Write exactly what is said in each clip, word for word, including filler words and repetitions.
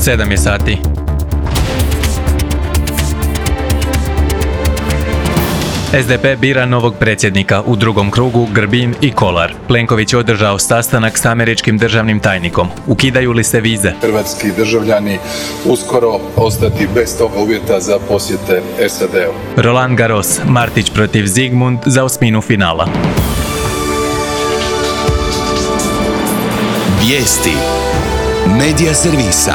sedam je sati. es de pe bira novog predsjednika, u drugom krugu Grbin i Kolar. Plenković je održao sastanak s američkim državnim tajnikom. Ukidaju li se vize? Hrvatski državljani uskoro ostati bez toga uvjeta za posjete es a de u. Roland Garros, Martić protiv Zigmund za osminu finala. Vijesti Medija servisa.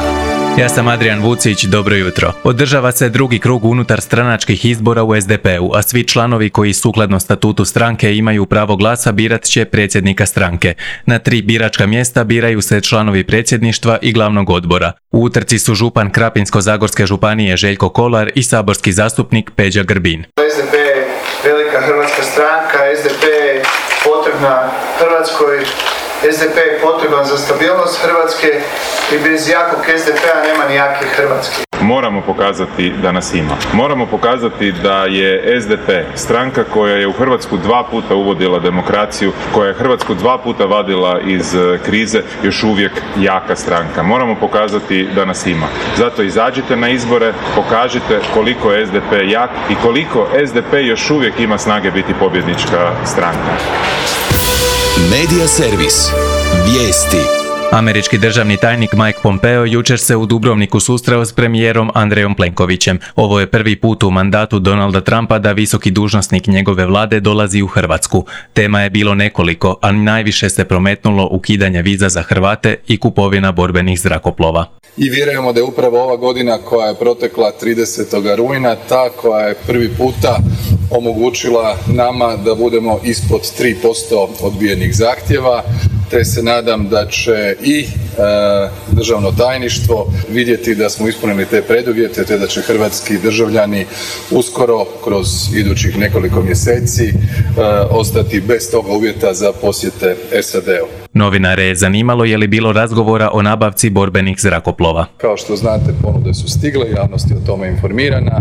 Ja sam Adrian Vucić, dobro jutro. Održava se drugi krug unutar stranačkih izbora u es de pe-u, a svi članovi koji sukladno statutu stranke imaju pravo glasa birat će predsjednika stranke. Na tri biračka mjesta biraju se članovi predsjedništva i glavnog odbora. U utrci su župan Krapinsko-zagorske županije Željko Kolar i saborski zastupnik Peđa Grbin. es de pe je velika hrvatska stranka, es de pe je potrebna Hrvatskoj, es de pe je potreban za stabilnost Hrvatske i bez jakog es de pe-a nema ni jake Hrvatske. Moramo pokazati da nas ima. Moramo pokazati da je es de pe stranka koja je u Hrvatsku dva puta uvodila demokraciju, koja je Hrvatsku dva puta vadila iz krize, još uvijek jaka stranka. Moramo pokazati da nas ima. Zato izađite na izbore, pokažite koliko je es de pe jak i koliko es de pe još uvijek ima snage biti pobjednička stranka. Medija servis. Vijesti. Američki državni tajnik Mike Pompeo jučer se u Dubrovniku susreo s premijerom Andrejom Plenkovićem. Ovo je prvi put u mandatu Donalda Trumpa da visoki dužnosnik njegove vlade dolazi u Hrvatsku. Tema je bilo nekoliko, a najviše se prometnulo ukidanje viza za Hrvate i kupovina borbenih zrakoplova. I vjerujemo da je upravo ova godina koja je protekla tridesetog rujna ta koja je prvi puta omogućila nama da budemo ispod tri posto odbijenih zahtjeva, te se nadam da će i e, državno tajništvo vidjeti da smo ispunili te preduvjete, te da će hrvatski državljani uskoro kroz idućih nekoliko mjeseci e, ostati bez toga uvjeta za posjete es a de u. Novinare je zanimalo je li bilo razgovora o nabavci borbenih zrakoplova. Kao što znate, ponude su stigle, javnost je o tome informirana.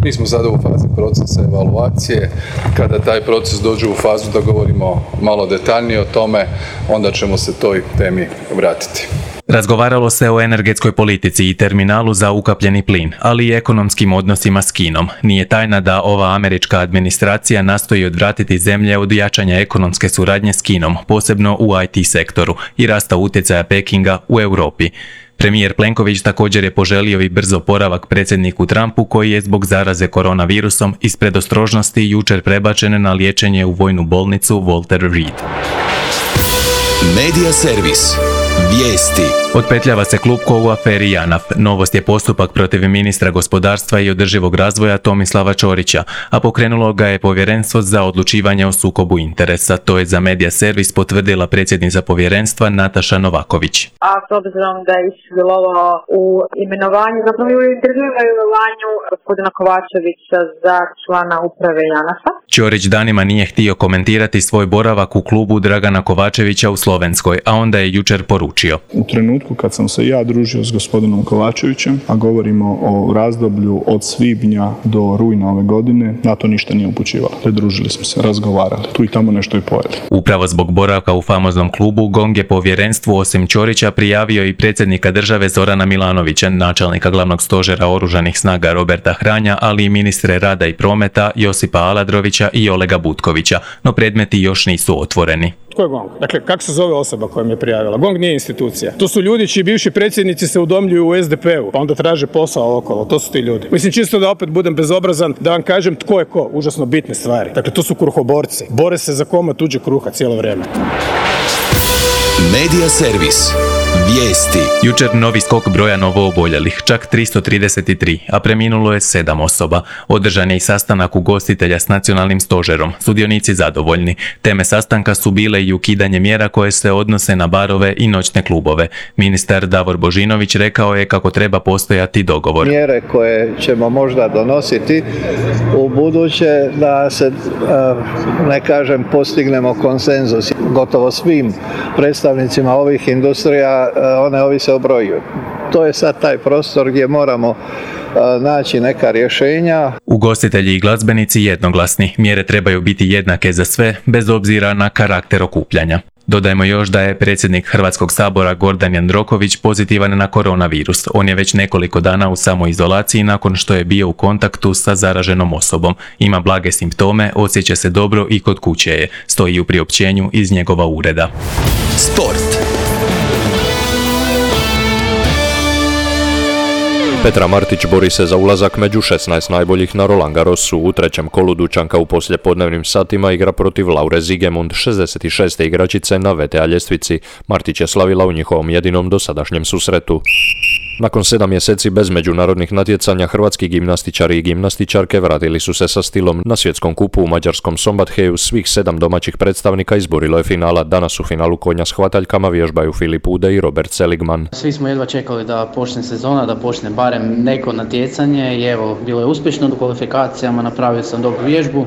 Mi smo sada u fazi procesa evaluacije. Kada taj proces dođe u fazu da govorimo malo detaljnije o tome, onda ćemo se toj temi vratiti. Razgovaralo se o energetskoj politici i terminalu za ukapljeni plin, ali i ekonomskim odnosima s Kinom. Nije tajna da ova američka administracija nastoji odvratiti zemlje od jačanja ekonomske suradnje s Kinom, posebno u i te sektoru, i rasta utjecaja Pekinga u Europi. Premijer Plenković također je poželio i brzo oporavak predsjedniku Trumpu, koji je zbog zaraze koronavirusom iz predostrožnosti jučer prebačen na liječenje u vojnu bolnicu Walter Reed. Medija servis. Vijesti. Otpetljava se Klupko u aferi JANAF. Novost je postupak protiv ministra gospodarstva i održivog razvoja Tomislava Ćorića, a pokrenulo ga je Povjerenstvo za odlučivanje o sukobu interesa. To je za Medija servis potvrdila predsjednica povjerenstva Nataša Novaković. A s obzirom da je sudjelovao u imenovanju, zapravo u imenovanju gospodina Kovačevića za člana uprave JANAF-a. Ćorić danima nije htio komentirati svoj boravak u klubu Dragana Kovačevića u Slovenskoj, a onda je jučer poručio. U trenutku kad sam se ja družio s gospodinom Kovačevićem, a govorimo o razdoblju od svibnja do rujna ove godine, na to ništa nije upućivalo. Pridružili smo se, razgovarali, tu i tamo nešto i pojeli. Upravo zbog boravka u famoznom klubu, GONG je povjerenstvu osim Ćorića prijavio i predsjednika države Zorana Milanovića, načelnika glavnog stožera oružanih snaga Roberta Hranja, ali i ministre rada i prometa Josipa Aladrovića i Olega Butkovića, no predmeti još nisu otvoreni. Tko je GONG? Dakle, kako se zove osoba koja mi je prijavila? GONG nije institucija. To su ljudi čiji bivši predsjednici se udomljuju u es de pe-u, pa onda traže posao okolo. To su ti ljudi. Mislim, čisto da opet budem bezobrazan, da vam kažem tko je ko. Užasno bitne stvari. Dakle, to su kruhoborci. Bore se za komad tuđe kruha cijelo vrijeme. Medija servis. Vijesti. Jučer novi skok broja novooboljelih, čak tristo trideset tri, a preminulo je sedam osoba. Održan je i sastanak ugostitelja s nacionalnim stožerom. Sudionici zadovoljni. Teme sastanka su bile i ukidanje mjera koje se odnose na barove i noćne klubove. Ministar Davor Božinović rekao je kako treba postojati dogovor. Mjere koje ćemo možda donositi u buduće da se, ne kažem, postignemo konsenzus. Gotovo svim predstavnicima ovih industrija one ovise o broju. To je sad taj prostor gdje moramo naći neka rješenja. Ugostitelji i glazbenici jednoglasni. Mjere trebaju biti jednake za sve, bez obzira na karakter okupljanja. Dodajmo još da je predsjednik Hrvatskog sabora Gordan Jandroković pozitivan na koronavirus. On je već nekoliko dana u samoizolaciji nakon što je bio u kontaktu sa zaraženom osobom. Ima blage simptome, osjeća se dobro i kod kuće je, stoji u priopćenju iz njegova ureda. Sport. Petra Martić bori se za ulazak među šesnaest najboljih na Roland Garrosu. U trećem kolu Dučanka u poslijepodnevnim satima igra protiv Laure Zigemund, šezdeset šeste igračice na V T A ljestvici. Martić je slavila u njihovom jedinom dosadašnjem susretu. Nakon sedam mjeseci bez međunarodnih natjecanja, hrvatski gimnastičari i gimnastičarke vratili su se sa stilom. Na svjetskom kupu u mađarskom Sombatheju svih sedam domaćih predstavnika izborilo je finala. Danas u finalu konja s hvataljkama vježbaju Filip Ude i Robert Seligman. Svi smo jedva čekali da počne sezona, da počne barem neko natjecanje i evo, bilo je uspješno. U kvalifikacijama napravio sam dobru vježbu,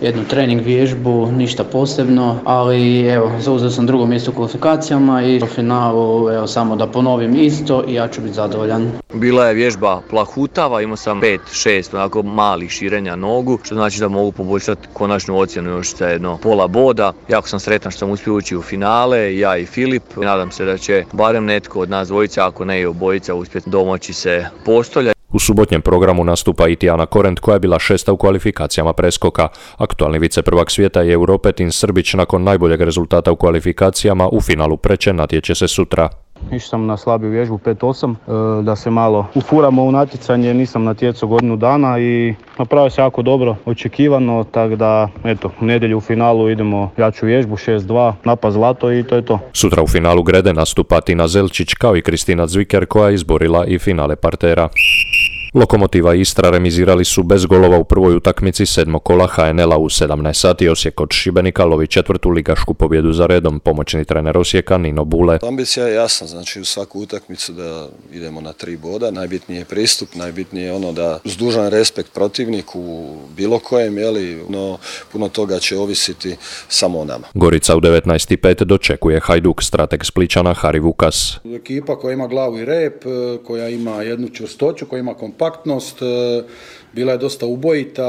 jednu trening vježbu, ništa posebno, ali evo, zauzeo sam drugo mjesto u kvalifikacijama i u finalu, evo, samo da ponovim isto i ja ću biti zadovoljan. Bila je vježba plahutava, imao sam pet šest onako malih širenja nogu, što znači da mogu poboljšati konačnu ocjenu još za jedno pola boda. Jako sam sretan što sam uspio ući u finale, ja i Filip. Nadam se da će barem netko od nas dvojica, ako ne i obojica, uspjeti domoći se postolja. U subotnjem programu nastupa i Tijana Korent koja je bila šesta u kvalifikacijama preskoka. Aktualni viceprvak svijeta i Europe Tin Srbić nakon najboljeg rezultata u kvalifikacijama u finalu preče natječe se sutra. Išao sam na slabiju vježbu pet osam, da se malo ufuramo u natjecanje, nisam natjecao godinu dana i napravio se jako dobro, očekivano, tako da eto, u nedjelju u finalu idemo jaču vježbu, šest dva, napad zlato i to je to. Sutra u finalu grede nastupa Tina Zelčić kao i Kristina Zviker koja je izborila i finale partera. Lokomotiva i Istra remizirali su bez golova u prvoj utakmici sedmog kola H N L-a u sedamnaest sati. Osijek od Šibenika lovi četvrtu ligašku pobjedu za redom. Pomoćni trener Osijeka Nino Bule. Ambicija je jasna, znači u svaku utakmicu da idemo na tri boda. Najbitnije je pristup, najbitnije je ono da uz dužan respekt protivniku bilo kojem, jeli, no puno toga će ovisiti samo o nama. Gorica u devetnaest i pet dočekuje Hajduk, strateg Spličana Hari Vukas. Ekipa koja ima glavu i rep, koja ima jednu čvrstoću, koja ima kompaktnost, bila je dosta ubojita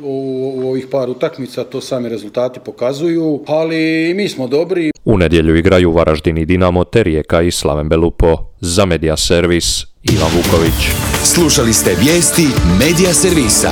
u ovih par utakmica, to sami rezultati pokazuju, ali mi smo dobri. U nedjelju igraju Varaždin i Dinamo te Rijeka i Slaven Belupo. Za Media Servis Ivan Vuković. Slušali ste vijesti Media Servisa.